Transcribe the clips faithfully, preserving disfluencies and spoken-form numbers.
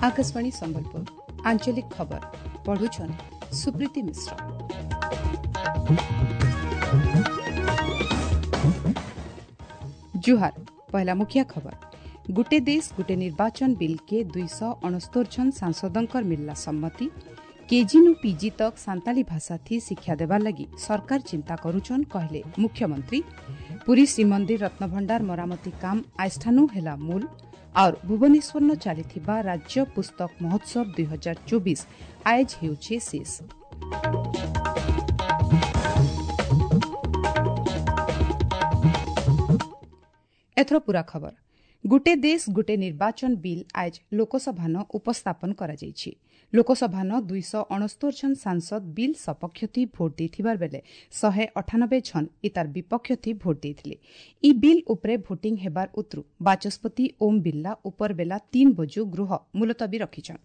ଆକାଶବାଣୀ ସମ୍ବଲପୁର ଆଞ୍ଚଳିକ ଖବର ପଢୁଛନ୍ ସୁପ୍ରୀତି ମିଶ୍ର ଜୁହାର ପହଲା ମୁଖିଆ ଖବର ଗୁଟେ ଦେଶ ଗୁଟେ ନିର୍ବାଚନ ବିଲ୍କେ ଦୁଇଶହ ଅଣସ୍ତୋର ଜଣ ସାଂସଦଙ୍କର ମିଳିଲା ସମ୍ମତି କେଜିନୁ ପିଜି ତକ୍ ସାନ୍ତାଳୀ ଭାଷା ଥି ଶିକ୍ଷା ଦେବାର ଲାଗି ସରକାର ଚିନ୍ତା କରୁଛନ୍ କହିଲେ ମୁଖ୍ୟମନ୍ତ୍ରୀ ପୁରୀ ଶ୍ରୀମନ୍ଦିର ରତ୍ନଭଣ୍ଡାର ମରାମତି କାମ ଆଇଷ୍ଠାନୁ ହେଲା ମୂଲ और ଭୁବନେଶ୍ୱରନ ଚାଲିଥିବା ରାଜ୍ୟ ପୁସ୍ତକ ମହୋତ୍ସବ ଦୁଇ ହଜାର ଚବିଶ ଆଏଜ ହେଉଛି ଶେଷ ଏଥର ପୂରା ଖବର ଗୁଟେ ଦେଶ ଗୁଟେ ନିର୍ବାଚନ ବିଲ୍ ଆଏଜ ଲୋକସଭାନ ଉପସ୍ଥାପନ କରାଯାଇଛି ଲୋକସଭାନ ଦୁଇଶହ ଅଣସ୍ତୋର ଜଣ ସାଂସଦ ବିଲ୍ ସପକ୍ଷ ଥି ଭୋଟ ଦେଇଥିବାର ବେଲେ ଶହେ ଅଠାନବେ ଜଣ ଇତାର ବିପକ୍ଷ ଥି ଭୋଟ ଦେଇଥିଲେ ଇ ବିଲ୍ ଉପରେ ଭୋଟିଂ ହେବାର ଉତ୍ରୁ ବାଚସ୍ପତି ଓମ୍ ବିର୍ଲା ଉପର ବେଲା ତିନ୍ ବଜୁ ଗୃହ ମୁଲତବୀ ରଖିଛନ୍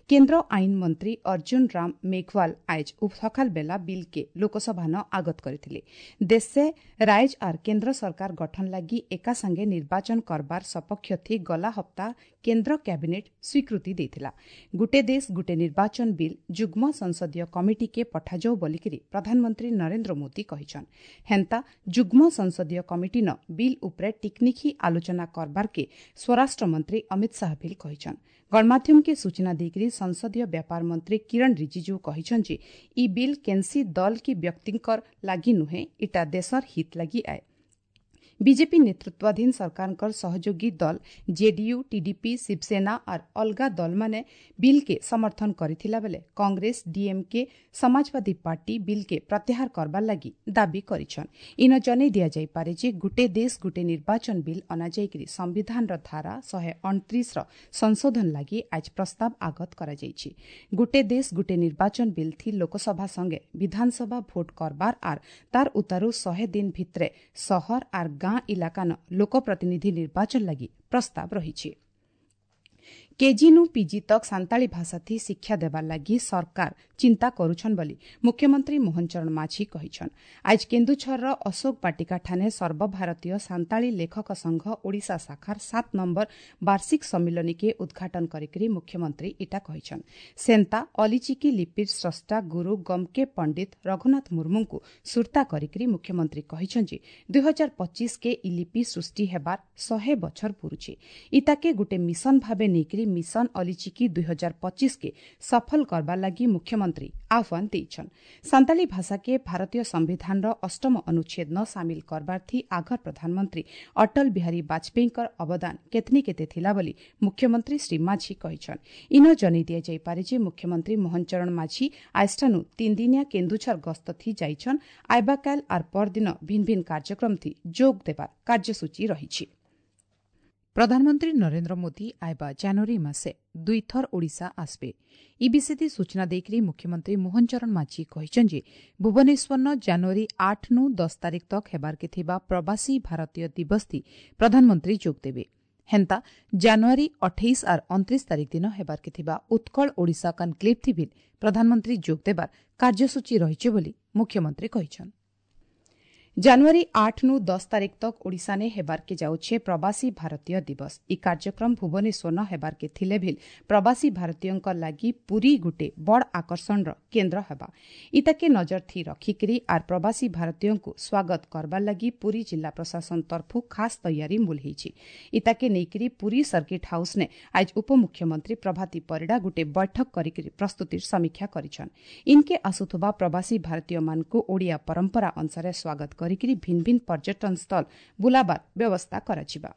କେନ୍ଦ୍ର ଆଇନ ମନ୍ତ୍ରୀ ଅର୍ଜୁନ ରାମ ମେଘୱାଲ ଆଏଜ ସକାଳ ବେଲା ବିଲ୍କେ ଲୋକସଭାନ ଆଗତ କରିଥିଲେ ଦେଶେ ରାଇଜ ଆର୍ କେନ୍ଦ୍ର ସରକାର ଗଠନ ଲାଗି ଏକା ସାଙ୍ଗେ ନିର୍ବାଚନ କରବାର ସପକ୍ଷ ଥି ଗଲା ହପ୍ତା କେନ୍ଦ୍ର କ୍ୟାବିନେଟ୍ ସ୍ୱୀକୃତି ଦେଇଥିଲା ଗୁଟେ ଦେଶ ଗୁଟେ ନିର୍ବାଚନ ବିଲ୍ ଯୁଗ୍ମ ସଂସଦୀୟ କମିଟିକେ ପଠାଯାଉ ବୋଲିକିରି ପ୍ରଧାନମନ୍ତ୍ରୀ ନରେନ୍ଦ୍ର ମୋଦି କହିଛନ୍ ହେନ୍ତା ଯୁଗ୍ମ ସଂସଦୀୟ କମିଟିନ ବିଲ୍ ଉପରେ ଟିକ୍ନିଖି ଆଲୋଚନା କରବାର୍କେ ସ୍ୱରାଷ୍ଟ୍ରମନ୍ତ୍ରୀ ଅମିତ ଶାହା ବିଲ୍ କହିଛନ୍ ଗଣମାଧ୍ୟମକେ ସୂଚନା ଦେଇକରି ସଂସଦୀୟ ବ୍ୟାପାର ମନ୍ତ୍ରୀ କିରଣ ରିଜିଜୁ କହିଛନ୍ ଯେ ଇ ବିଲ୍ କେନ୍ସି ଦଲ କି ବ୍ୟକ୍ତିଙ୍କର ଲାଗି ନୁହେଁ ଇଟା ଦେଶର ହିତ ଲାଗି ଆଏ ବିଜେପି ନେତୃତ୍ୱାଧୀନ ସରକାରଙ୍କର ସହଯୋଗୀ ଦଲ ଜେଡିୟୁ ଟିଡିପି ଶିବସେନା ଆର୍ ଅଲଗା ଦଲମାନେ ବିଲ୍କେ ସମର୍ଥନ କରିଥିଲା ବେଲେ କଂଗ୍ରେସ ଡିଏମ୍କେ ସମାଜବାଦୀ ପାର୍ଟି ବିଲ୍କେ ପ୍ରତ୍ୟାହାର କରବାର ଲାଗି ଦାବି କରିଛନ୍ ଇନ ଜନେଇ ଦିଆଯାଇପାରେ ଯେ ଗୁଟେ ଦେଶ ଗୁଟେ ନିର୍ବାଚନ ବିଲ୍ ଅଣାଯାଇକରି ସମ୍ବିଧାନର ଧାରା ଶହେ ଅଣତିରିଶର ସଂଶୋଧନ ଲାଗି ଆଜ ପ୍ରସ୍ତାବ ଆଗତ କରାଯାଇଛି ଗୁଟେ ଦେଶ ଗୁଟେ ନିର୍ବାଚନ ବିଲ୍ ଥି ଲୋକସଭା ସଙ୍ଗେ ବିଧାନସଭା ଭୋଟ କରବାର ଆର୍ ତାର ଉତାରୁ ଶହେ ଦିନ ଭିତରେ ସହର ଆର୍ ଗାଁ ଇଲାକାନ ଲୋକପ୍ରତିନିଧି ନିର୍ବାଚନ ଲାଗି ପ୍ରସ୍ତାବ ରହିଛି କେଜିନୁ ପିଜି ତକ୍ ସାନ୍ତାଳୀ ଭାଷା ଥି ଶିକ୍ଷା ଦେବାର ଲାଗି ସରକାର ଚିନ୍ତା କରୁଛନ୍ ବୋଲି ମୁଖ୍ୟମନ୍ତ୍ରୀ ମୋହନ ଚରଣ ମାଝୀ କହିଛନ୍ ଆଜ କେନ୍ଦୁଝରର ଅଶୋକ ବାଟିକା ଠାନେ ସର୍ବଭାରତୀୟ ସାନ୍ତାଳୀ ଲେଖକ ସଂଘ ଓଡ଼ିଶା ଶାଖାର ସାତ ନମ୍ବର ବାର୍ଷିକ ସମ୍ମିଳନୀକେ ଉଦ୍ଘାଟନ କରିକରି ମୁଖ୍ୟମନ୍ତ୍ରୀ ଇଟା କହିଛନ୍ ସେନ୍ତା ଅଲିଚିକି ଲିପିର ସ୍ରଷ୍ଟା ଗୁରୁ ଗମ୍କେ ପଣ୍ଡିତ ରଘୁନାଥ ମୁର୍ମୁଙ୍କୁ ସୁର୍ତ୍ତା କରିକରି ମୁଖ୍ୟମନ୍ତ୍ରୀ କହିଛନ୍ ଯେ ଦୁଇ ହଜାର ପଚିଶକେ ଇ ଲିପି ସୃଷ୍ଟି ହେବାର ଶହେ ବଛର ପୁରୁଛେ ଇତାକେ ଗୁଟେ ମିଶନ ଭାବେ ନେଇକରି ମିଶନ ଅଲିଚିକି ଦୁଇ ହଜାର ପଚିଶକେ ସଫଳ କରବାର ଲାଗି ମୁଖ୍ୟମନ୍ତ୍ରୀ ଆହ୍ୱାନ ଦେଇଛନ୍ ସାନ୍ତାଳୀ ଭାଷାକେ ଭାରତୀୟ ସମ୍ବିଧାନର ଅଷ୍ଟମ ଅନୁଚ୍ଛେଦ ନ ସାମିଲ କରବାର ଥି ଆଘର ପ୍ରଧାନମନ୍ତ୍ରୀ ଅଟଳ ବିହାରୀ ବାଜପେୟୀଙ୍କର ଅବଦାନ କେତନି କେତେ ଥିଲା ବୋଲି ମୁଖ୍ୟମନ୍ତ୍ରୀ ଶ୍ରୀ ମାଝୀ କହିଛନ୍ ଇନ ଜନେଇ ଦିଆଯାଇପାରେ ଯେ ମୁଖ୍ୟମନ୍ତ୍ରୀ ମୋହନ ଚରଣ ମାଝୀ ଆଇଷ୍ଠାନୁ ତିନିଦିନିଆ କେନ୍ଦୁଝର ଗସ୍ତ ଥି ଯାଇଛନ୍ ଆଇବାକାଲ ଆର୍ ପରଦିନ ଭିନ୍ନ ଭିନ୍ନ କାର୍ଯ୍ୟକ୍ରମ ଥି ଯୋଗ ଦେବାର କାର୍ଯ୍ୟସୂଚୀ ରହିଛି ପ୍ରଧାନମନ୍ତ୍ରୀ ନରେନ୍ଦ୍ର ମୋଦି ଆଇବା ଜାନୁଆରୀ ମାସେ ଦୁଇଥର ଓଡ଼ିଶା ଆସିବେ ଇ ବିଷୟରେ ସୂଚନା ଦେଇକରି ମୁଖ୍ୟମନ୍ତ୍ରୀ ମୋହନ ଚରଣ ମାଝୀ କହିଛନ୍ ଯେ ଭୁବନେଶ୍ୱରନ ଜାନୁଆରୀ ଆଠନୁ ଦଶ ତାରିଖ ତକ୍ ହେବାର୍କେ ଥିବା ପ୍ରବାସୀ ଭାରତୀୟ ଦିବସ ଥି ପ୍ରଧାନମନ୍ତ୍ରୀ ଯୋଗ ଦେବେ ହେନ୍ତା ଜାନୁଆରୀ ଅଠେଇଶ ଆର୍ ଅଣତିରିଶ ତାରିଖ ଦିନ ହେବାର୍କେ ଥିବା ଉତ୍କଳ ଓଡ଼ିଶା କନ୍କ୍ଲେଭ୍ ଥି ବି ପ୍ରଧାନମନ୍ତ୍ରୀ ଯୋଗ ଦେବାର କାର୍ଯ୍ୟସୂଚୀ ରହିଛି ବୋଲି ମୁଖ୍ୟମନ୍ତ୍ରୀ କହିଛନ୍ ଜାନୁଆରୀ ଆଠନୁ ଦଶ ତାରିଖ ତକ୍ ଓଡ଼ିଶାନେ ହେବାର୍କେ ଯାଉଛେ ପ୍ରବାସୀ ଭାରତୀୟ ଦିବସ ଇ କାର୍ଯ୍ୟକ୍ରମ ଭୁବନେଶ୍ୱରନ ହେବାର୍କେ ଥିଲେ ଭିଲ୍ ପ୍ରବାସୀ ଭାରତୀୟଙ୍କ ଲାଗି ପୁରୀ ଗୁଟେ ବଡ଼ ଆକର୍ଷଣର କେନ୍ଦ୍ର ହେବା ଇତାକେ ନଜର ଥି ରଖିକିରି ଆର୍ ପ୍ରବାସୀ ଭାରତୀୟଙ୍କୁ ସ୍ୱାଗତ କରବାର ଲାଗି ପୁରୀ ଜିଲ୍ଲା ପ୍ରଶାସନ ତରଫୁ ଖାସ୍ ତૈୟାରୀ ମୂଲ ହେଇଛି ଇତାକେ ନେଇକିରି ପୁରୀ ସର୍କିଟ୍ ହାଉସ୍ନେ ଆଜ ଉପମୁଖ୍ୟମନ୍ତ୍ରୀ ପ୍ରଭାତୀ ପରିଡ଼ା ଗୁଟେ ବୈଠକ କରିକିରି ପ୍ରସ୍ତୁତିର ସମୀକ୍ଷା କରିଛନ୍ ଇନ୍କେ ଆସୁଥିବା ପ୍ରବାସୀ ଭାରତୀୟମାନଙ୍କୁ ଓଡ଼ିଆ ପରମ୍ପରା ଅନୁସାରେ ସ୍ୱାଗତ କରିକିରି ଭିନ୍ନ ଭିନ୍ନ ପର୍ଯ୍ୟଟନ ସ୍ଥଳ ବୁଲାବାର ବ୍ୟବସ୍ଥା କରାଯିବା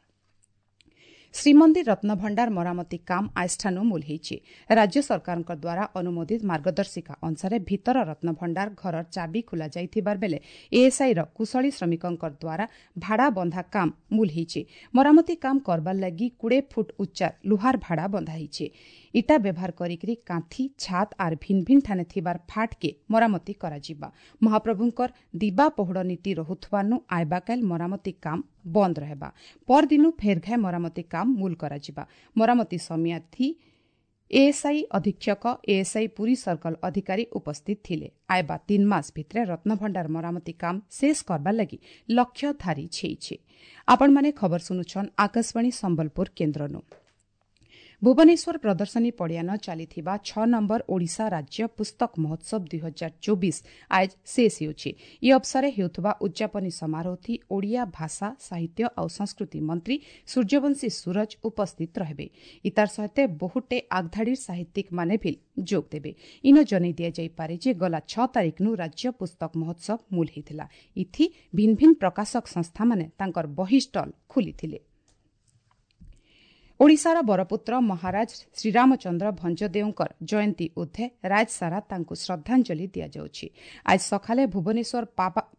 ଶ୍ରୀମନ୍ଦିର ରତ୍ନଭଣ୍ଡାର ମରାମତି କାମ ଆଇଷ୍ଠାନୁ ମୂଲ ହେଇଛି ରାଜ୍ୟ ସରକାରଙ୍କ ଦ୍ୱାରା ଅନୁମୋଦିତ ମାର୍ଗଦର୍ଶିକା ଅନୁସାରେ ଭିତର ରତ୍ନଭଣ୍ଡାର ଘରର ଚାବି ଖୋଲାଯାଇଥିବାର ବେଲେ ଏଏସ୍ଆଇର କୁଶଳୀ ଶ୍ରମିକଙ୍କ ଦ୍ୱାରା ଭାଡ଼ା ବନ୍ଧା କାମ ମୂଲ ହେଇଛି ମରାମତି କାମ କରବାର ଲାଗି କୁଡ଼େ ଫୁଟ ଉଚ୍ଚାର ଲୁହାର ଭାଡ଼ା ବନ୍ଧା ହେଇଛି ଇଟା ବ୍ୟବହାର କରିକିରି କାନ୍ଥି ଛାତ ଆର୍ ଭିନ୍ନ ଭିନ୍ନ ଠାନେ ଥିବାର ଫାଟକେ ମରାମତି କରାଯିବା ମହାପ୍ରଭୁଙ୍କର ଦିବା ପହୁଡ଼ ନୀତି ରହୁଥିବାନୁ ଆଇବାକାଲ ମରାମତି କାମ ବନ୍ଦ રહેବା ପରଦିନୁ ଫେରଘାଏ ମରାମତି କାମ ମୂଲ କରାଯିବା ମରାମତି ସମୟାଥି ଏଏସ୍ଆଇ ଅଧୀକ୍ଷକ ଏଏସ୍ଆଇ ପୁରୀ ସର୍କଲ ଅଧିକାରୀ ଉପସ୍ଥିତ ଥିଲେ ଆଇବା ତିନି ମାସ ଭିତରେ ରତ୍ନଭଣ୍ଡାର ମରାମତି କାମ ଶେଷ କରବାର ଲାଗି ଲକ୍ଷ୍ୟ ଧାରି ଛେଇছে ଆପଣମାନେ ଖବର ଶୁଣୁଛନ୍ ଆକାଶବାଣୀ ସମ୍ବଲପୁର କେନ୍ଦ୍ରନୁ ଭୁବନେଶ୍ୱର ପ୍ରଦର୍ଶନୀ ପଡ଼ିଆନ ଚାଲିଥିବା ଛଅ ନମ୍ବର ଓଡ଼ିଶା ରାଜ୍ୟ ପୁସ୍ତକ ମହୋତ୍ସବ ଦୁଇ ହଜାର ଚବିଶ ଆଜ ଶେଷ ହେଉଛି। ଇ ଅବସରେ ହେଉଥିବା ଉଦ୍ଯାପନୀ ସମାରୋହଥି ଓଡ଼ିଆ ଭାଷା, ସାହିତ୍ୟ ଆଉ ସଂସ୍କୃତି ମନ୍ତ୍ରୀ ସୂର୍ଯ୍ୟବଂଶୀ ସୂରଜ ଉପସ୍ଥିତ ରହିବେ। ଇତାର ସହିତ ବହୁଟେ ଆଗଧାଡ଼ିର ସାହିତ୍ୟିକମାନେ ବି ଯୋଗ ଦେବେ। ଇନ ଜଣାଇ ଦିଆଯାଇପାରେ ଯେ ଗଲା ଛଅ ତାରିଖନୁ ରାଜ୍ୟ ପୁସ୍ତକ ମହୋତ୍ସବ ମୂଲ ହୋଇଥିଲା। ଇଥି ଭିନ୍ନ ଭିନ୍ନ ପ୍ରକାଶକ ସଂସ୍ଥାମାନେ ତାଙ୍କର ବହି ଷ୍ଟଲ୍ ଖୋଲିଥିଲେ। ଓଡ଼ିଶାର ବରପୁତ୍ର ମହାରାଜ ଶ୍ରୀରାମଚନ୍ଦ୍ର ଭଞ୍ଜଦେଓଙ୍କର ଜୟନ୍ତୀ ଉଦ୍ଧେ ରାଜସାରା ତାଙ୍କୁ ଶ୍ରଦ୍ଧାଞ୍ଜଳି ଦିଆଯାଉଛି। ଆଜି ସକାଳେ ଭୁବନେଶ୍ୱର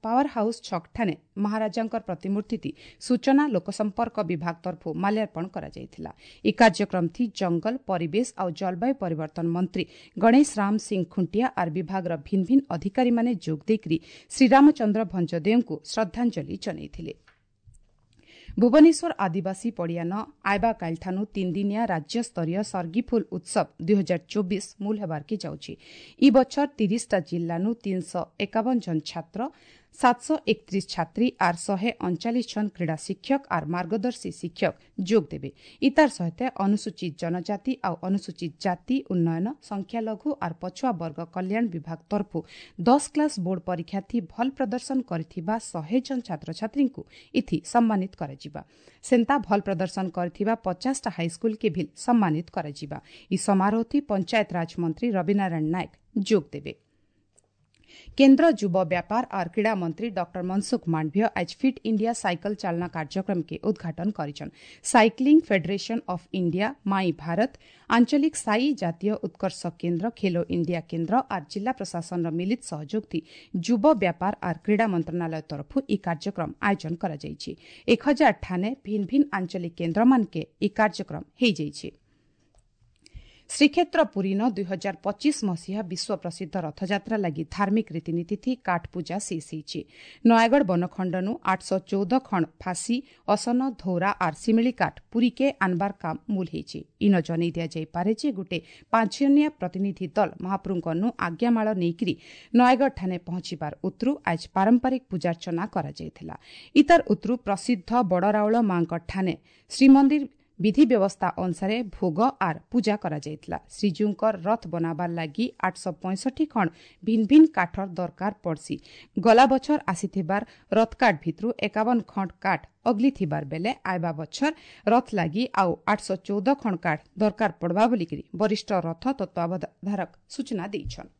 ପାୱାର ହାଉସ୍ ଛକଠାରେ ମହାରାଜାଙ୍କର ପ୍ରତିମୂର୍ତ୍ତି ସୂଚନା ଲୋକସମ୍ପର୍କ ବିଭାଗ ତରଫରୁ ମାଲ୍ୟାର୍ପଣ କରାଯାଇଥିଲା। ଏହି କାର୍ଯ୍ୟକ୍ରମଥି ଜଙ୍ଗଲ, ପରିବେଶ ଆଉ ଜଳବାୟୁ ପରିବର୍ତ୍ତନ ମନ୍ତ୍ରୀ ଗଣେଶ ରାମ ସିଂ ଖୁଣ୍ଟିଆ ଆର୍ ବିଭାଗର ଭିନ୍ନ ଭିନ୍ନ ଅଧିକାରୀମାନେ ଯୋଗ ଦେଇକରି ଶ୍ରୀରାମଚନ୍ଦ୍ର ଭଞ୍ଜଦେଓଙ୍କୁ ଶ୍ରଦ୍ଧାଞ୍ଜଳି ଜଣାଇଥିଲେ। ଭୁବନେଶ୍ୱର ଆଦିବାସୀ ପଡ଼ିଆନ ଆଇବା କାଲିଠାନୁ ତିନିଦିନିଆ ରାଜ୍ୟସ୍ତରୀୟ ସର୍ଗିଫୁଲ ଉତ୍ସବ ଦୁଇ ହଜାର ଚବିଶ ମୂଲ ହେବାର୍କେ ଯାଉଛି। ଇ ବଛର ତିରିଶଟା ଜିଲ୍ଲାନୁ ତିନିଶହ ଏକାବନ ଜଣ ଛାତ୍ର, ସାତଶହ ଏକତ୍ରିଶ ଛାତ୍ରୀ ଆର୍ ଶହେ ଅଣଚାଳିଶ ଜଣ କ୍ରୀଡ଼ା ଶିକ୍ଷକ ଆର୍ ମାର୍ଗଦର୍ଶୀ ଶିକ୍ଷକ ଯୋଗ ଦେବେ। ଇତାର ସହିତ ଅନୁସୂଚିତ ଜନଜାତି ଆଉ ଅନୁସୂଚିତ ଜାତି ଉନ୍ନୟନ, ସଂଖ୍ୟାଲଘୁ ଆର୍ ପଛୁଆ ବର୍ଗ କଲ୍ୟାଣ ବିଭାଗ ତରଫରୁ ଦଶ କ୍ଲାସ୍ ବୋର୍ଡ ପରୀକ୍ଷାର୍ଥୀ ଭଲ ପ୍ରଦର୍ଶନ କରିଥିବା ଶହେ ଜଣ ଛାତ୍ରଛାତ୍ରୀଙ୍କୁ ଇଥି ସମ୍ମାନିତ କରାଯିବା। ସେନ୍ତା ଭଲ ପ୍ରଦର୍ଶନ କରିଥିବା ପଚାଶଟା ହାଇସ୍କୁଲକେ ବି ସମ୍ମାନିତ କରାଯିବା। ଇ ସମାରୋହଥି ପଞ୍ଚାୟତରାଜ ମନ୍ତ୍ରୀ ରବିନାରାୟଣ ନାୟକ ଯୋଗ ଦେବେ। କେନ୍ଦ୍ର ଯୁବ ବ୍ୟାପାର ଆର୍ କ୍ରୀଡ଼ା ମନ୍ତ୍ରୀ ଡକ୍ଟର ମନସୁଖ ମାଣ୍ଡଭ୍ୟ ଆଜ ଫିଟ୍ ଇଣ୍ଡିଆ ସାଇକେଲ ଚାଳନା କାର୍ଯ୍ୟକ୍ରମକେ ଉଦ୍ଘାଟନ କରିଛନ୍। Cycling federation of India, my Bharat, ଆଞ୍ଚଳିକ ସାଇ ଜାତୀୟ ଉତ୍କର୍ଷ କେନ୍ଦ୍ର, ଖେଲୋ ଇଣ୍ଡିଆ କେନ୍ଦ୍ର ଆର୍ ଜିଲ୍ଲା ପ୍ରଶାସନର ମିଳିତ ସହଯୋଗଥି ଯୁବ ବ୍ୟାପାର ଆର୍ କ୍ରୀଡ଼ା ମନ୍ତ୍ରଣାଳୟ ତରଫରୁ ଏହି କାର୍ଯ୍ୟକ୍ରମ ଆୟୋଜନ କରାଯାଇଛି। ଏକ ହଜାର ଠାନେ ଭିନ୍ନ ଭିନ୍ନ ଆଞ୍ଚଳିକ କେନ୍ଦ୍ରମାନକେ ଏହି କାର୍ଯ୍ୟକ୍ରମ ହୋଇଯାଇଛି। ଶ୍ରୀକ୍ଷେତ୍ର ପୁରୀନ ଦୁଇ ହଜାର ପଚିଶ ମସିହା ବିଶ୍ୱ ପ୍ରସିଦ୍ଧ ରଥଯାତ୍ରା ଲାଗି ଧାର୍ମିକ ରୀତିନୀତି କାଠ ପୂଜା ଶେଷ ହୋଇଛି। ନୟାଗଡ଼ ବନଖଣ୍ଡନୁ ଆଠଶହ ଚଉଦ ଖଣ୍ଡ ଫାଶୀ, ଅସନ, ଧୌରା ଆର୍ ଶିମିଳି କାଠ ପୁରୀକେ ଆନବାର କାମ ମୂଲ ହୋଇଛି। ଇନ ଜଣାଇ ଦିଆଯାଇପାରେ ଯେ ଗୋଟେ ପାଞ୍ଚଜଣିଆ ପ୍ରତିନିଧି ଦଳ ମହାପ୍ରଭୁଙ୍କନୁ ଆଜ୍ଞାମାଳ ନେଇକରି ନୟାଗଡ଼ଠାରେ ପହଞ୍ଚିବାର ଉତ୍ରୁ ଆଜ ପାରମ୍ପରିକ ପୂଜାର୍ଚ୍ଚନା କରାଯାଇଥିଲା। ଇତାର ଉତ୍ରୁ ପ୍ରସିଦ୍ଧ ବଡ଼ରାଉଳ ମାଙ୍କ ଠାନେ ଶ୍ରୀମନ୍ଦିର ବିଧି ବ୍ୟବସ୍ଥା ଅନୁସାରେ ଭୋଗ ଆର୍ ପୂଜା କରାଯାଇଥିଲା। ଶ୍ରୀଜୀଉଙ୍କର ରଥ ବନାବାର ଲାଗି ଆଠଶହ ପଞ୍ଚଷଠି ଖଣ୍ଡ ଭିନ୍ନ ଭିନ୍ନ କାଠର ଦରକାର ପଡ଼ସି। ଗଲା ବଛର ଆସିଥିବାର ରଥକାଠ ଭିତରୁ ଏକାବନ ଖଣ୍ଡ କାଠ ଅଗଲି ଥିବାର ବେଲେ ଆଇବା ବଛର ରଥ ଲାଗି ଆଉ ଆଠଶହ ଚଉଦ ଖଣ୍ଡ କାଠ ଦରକାର ପଡ଼ବା ବୋଲିକରି ବରିଷ୍ଠ ରଥ ତତ୍ତ୍ୱାବଧାରକ ସୂଚନା ଦେଇଛନ୍।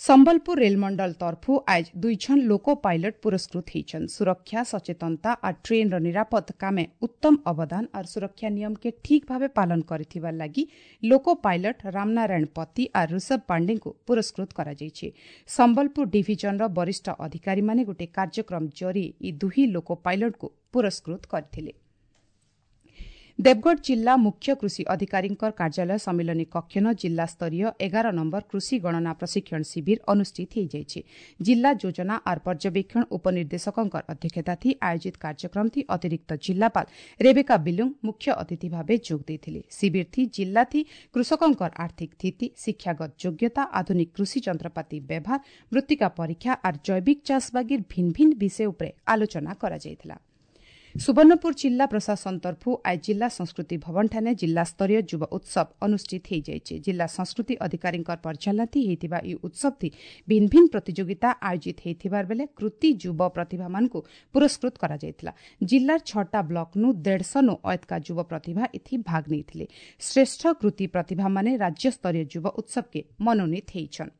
ସମ୍ବଲପୁର ରେଲମଣ୍ଡଳ ତରଫୁ ଆଜ ଦୁଇଜଣ ଲୋକୋ ପାଇଲଟ ପୁରସ୍କୃତ ହୋଇଛନ୍। ସୁରକ୍ଷା, ସଚେତନତା ଆର୍ ଟ୍ରେନ୍ର ନିରାପଦ କାମେ ଉତ୍ତମ ଅବଦାନ ଆର୍ ସୁରକ୍ଷା ନିୟମକେ ଠିକ୍ ଭାବେ ପାଳନ କରିଥିବାର ଲାଗି ଲୋକୋ ପାଇଲଟ ରାମନାରାୟଣ ପତି ଆର୍ ଋଷଭ ପାଣ୍ଡେଙ୍କୁ ପୁରସ୍କୃତ କରାଯାଇଛି। ସମ୍ବଲପୁର ଡିଭିଜନର ବରିଷ୍ଠ ଅଧିକାରୀମାନେ ଗୋଟିଏ କାର୍ଯ୍ୟକ୍ରମ ଜରିଏ ଇ ଦୁହି ଲୋକୋ ପାଇଲଟଙ୍କୁ ପୁରସ୍କୃତ କରିଥିଲେ। ଦେବଗଡ଼ ଜିଲ୍ଲା ମୁଖ୍ୟ କୃଷି ଅଧିକାରୀଙ୍କ କାର୍ଯ୍ୟାଳୟ ସମ୍ମିଳନୀ କକ୍ଷନ ଜିଲ୍ଲାସ୍ତରୀୟ ଏଗାର ନମ୍ବର କୃଷି ଗଣନା ପ୍ରଶିକ୍ଷଣ ଶିବିର ଅନୁଷ୍ଠିତ ହୋଇଯାଇଛି। ଜିଲ୍ଲା ଯୋଜନା ଆର୍ ପର୍ଯ୍ୟବେକ୍ଷଣ ଉପନିର୍ଦ୍ଦେଶକଙ୍କ ଅଧ୍ୟକ୍ଷତାଥି ଆୟୋଜିତ କାର୍ଯ୍ୟକ୍ରମଥି ଅତିରିକ୍ତ ଜିଲ୍ଲାପାଳ ରେବେକା ବିଲୁଙ୍ଗ ମୁଖ୍ୟ ଅତିଥି ଭାବେ ଯୋଗ ଦେଇଥିଲେ। ଶିବିରଥି ଜିଲ୍ଲାଥି କୃଷକଙ୍କର ଆର୍ଥିକ ସ୍ଥିତି, ଶିକ୍ଷାଗତ ଯୋଗ୍ୟତା, ଆଧୁନିକ କୃଷି ଯନ୍ତ୍ରପାତି ବ୍ୟବହାର, ମୃତ୍ତିକା ପରୀକ୍ଷା ଆର୍ ଜୈବିକ ଚାଷ ବାଗିର ଭିନ୍ନ ଭିନ୍ନ ବିଷୟ ଉପରେ ଆଲୋଚନା କରାଯାଇଥିଲା। ସୁବର୍ଣ୍ଣପୁର ଜିଲ୍ଲା ପ୍ରଶାସନ ତରଫରୁ ଆଜ ଜିଲ୍ଲା ସଂସ୍କୃତି ଭବନଠାରେ ଜିଲ୍ଲାସ୍ତରୀୟ ଯୁବ ଉତ୍ସବ ଅନୁଷ୍ଠିତ ହୋଇଯାଇଛି। ଜିଲ୍ଲା ସଂସ୍କୃତି ଅଧିକାରୀଙ୍କ ପରିଚାଳନାଥି ହୋଇଥିବା ଏହି ଉତ୍ସବଥି ଭିନ୍ନ ଭିନ୍ନ ପ୍ରତିଯୋଗିତା ଆୟୋଜିତ ହୋଇଥିବାର ବେଲେ କୃତି ଯୁବ ପ୍ରତିଭାମାନଙ୍କୁ ପୁରସ୍କୃତ କରାଯାଇଥିଲା। ଜିଲ୍ଲାର ଛଅଟା ବ୍ଲକନୁ ଦେଢ଼ଶହନୁ ଅୟତ୍କା ଯୁବ ପ୍ରତିଭା ଏଥି ଭାଗ ନେଇଥିଲେ। ଶ୍ରେଷ୍ଠ କୃତି ପ୍ରତିଭାମାନେ ରାଜ୍ୟସ୍ତରୀୟ ଯୁବ ଉତ୍ସବକେ ମନୋନୀତ ହୋଇଛନ୍।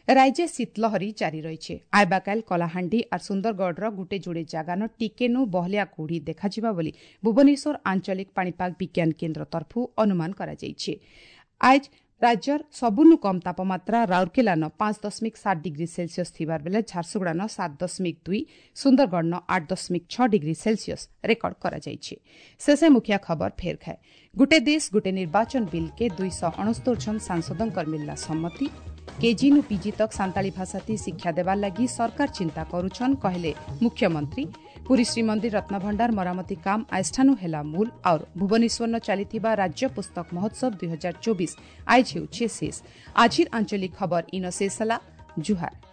ରାଜ୍ୟ ଶୀତଲହରୀ ଜାରି ରହିଛି। ଆଇବାକାଲ କଳାହାଣ୍ଡି ଆର୍ ସୁନ୍ଦରଗଡ଼ର ଗୁଟେ ଯୋଡ଼େ ଜାଗାନ ଟିକେନୁ ବହଲିଆ କୁହୁଡ଼ି ଦେଖାଯିବା ବୋଲି ଭୁବନେଶ୍ୱର ଆଞ୍ଚଳିକ ପାଣିପାଗ ବିଜ୍ଞାନ କେନ୍ଦ୍ର ତରଫରୁ ଅନୁମାନ କରାଯାଇଛି। ଆଜ ରାଜ୍ୟର ସବୁନୁ କମ୍ ତାପମାତ୍ରା ରାଉରକେଲାନ ପାଞ୍ଚ ଦଶମିକ ସାତ ଡିଗ୍ରୀ ସେଲସିୟସ୍ ଥିବାର ବେଲେ ଝାରସୁଗୁଡ଼ାନ ସାତ ଦଶମିକ ଦୁଇ, ସୁନ୍ଦରଗଡ଼ନ ଆଠ ଦଶମିକ ଛଅ ଡିଗ୍ରୀ ସେଲସିୟସ୍ ରେକର୍ଡ କରାଯାଇଛି। ଶେଷେ ମୁଖିଆ ଖବର ଫେର ଖାଏ। ଗୁଟେ ଦେଶ ଗୁଟେ ନିର୍ବାଚନ ବିଲ୍କେ ଦୁଇଶହ ଅଣସ୍ତୋର ଜଣ ସାଂସଦଙ୍କର ମିଳିଲା ସମ୍ମତି। କେଜି ନୁ ପିଜି ତକ୍ ସାନ୍ତାଳୀ ଭାଷାତି ଶିକ୍ଷା ଦେବାର ଲାଗି ସରକାର ଚିନ୍ତା କରୁଛନ୍ କହିଲେ ମୁଖ୍ୟମନ୍ତ୍ରୀ। ପୁରୀ ଶ୍ରୀମନ୍ଦିର ରତ୍ନଭଣ୍ଡାର ମରାମତି କାମ ଆଇଷ୍ଠାନୁ ହେଲା ମୂଲ। ଆଉ ଭୁବନେଶ୍ୱରନ ଚାଲିଥିବା ରାଜ୍ୟ ପୁସ୍ତକ ମହୋତ୍ସବ ଦୁଇ ହଜାର ଚବିଶ ଆଇଜ ହେଉଛି ଶେଷ। ଆଜିର ଆଞ୍ଚଳିକ ଖବର ଇନ ଶେଷ ହେଲା। ଜୁହାର।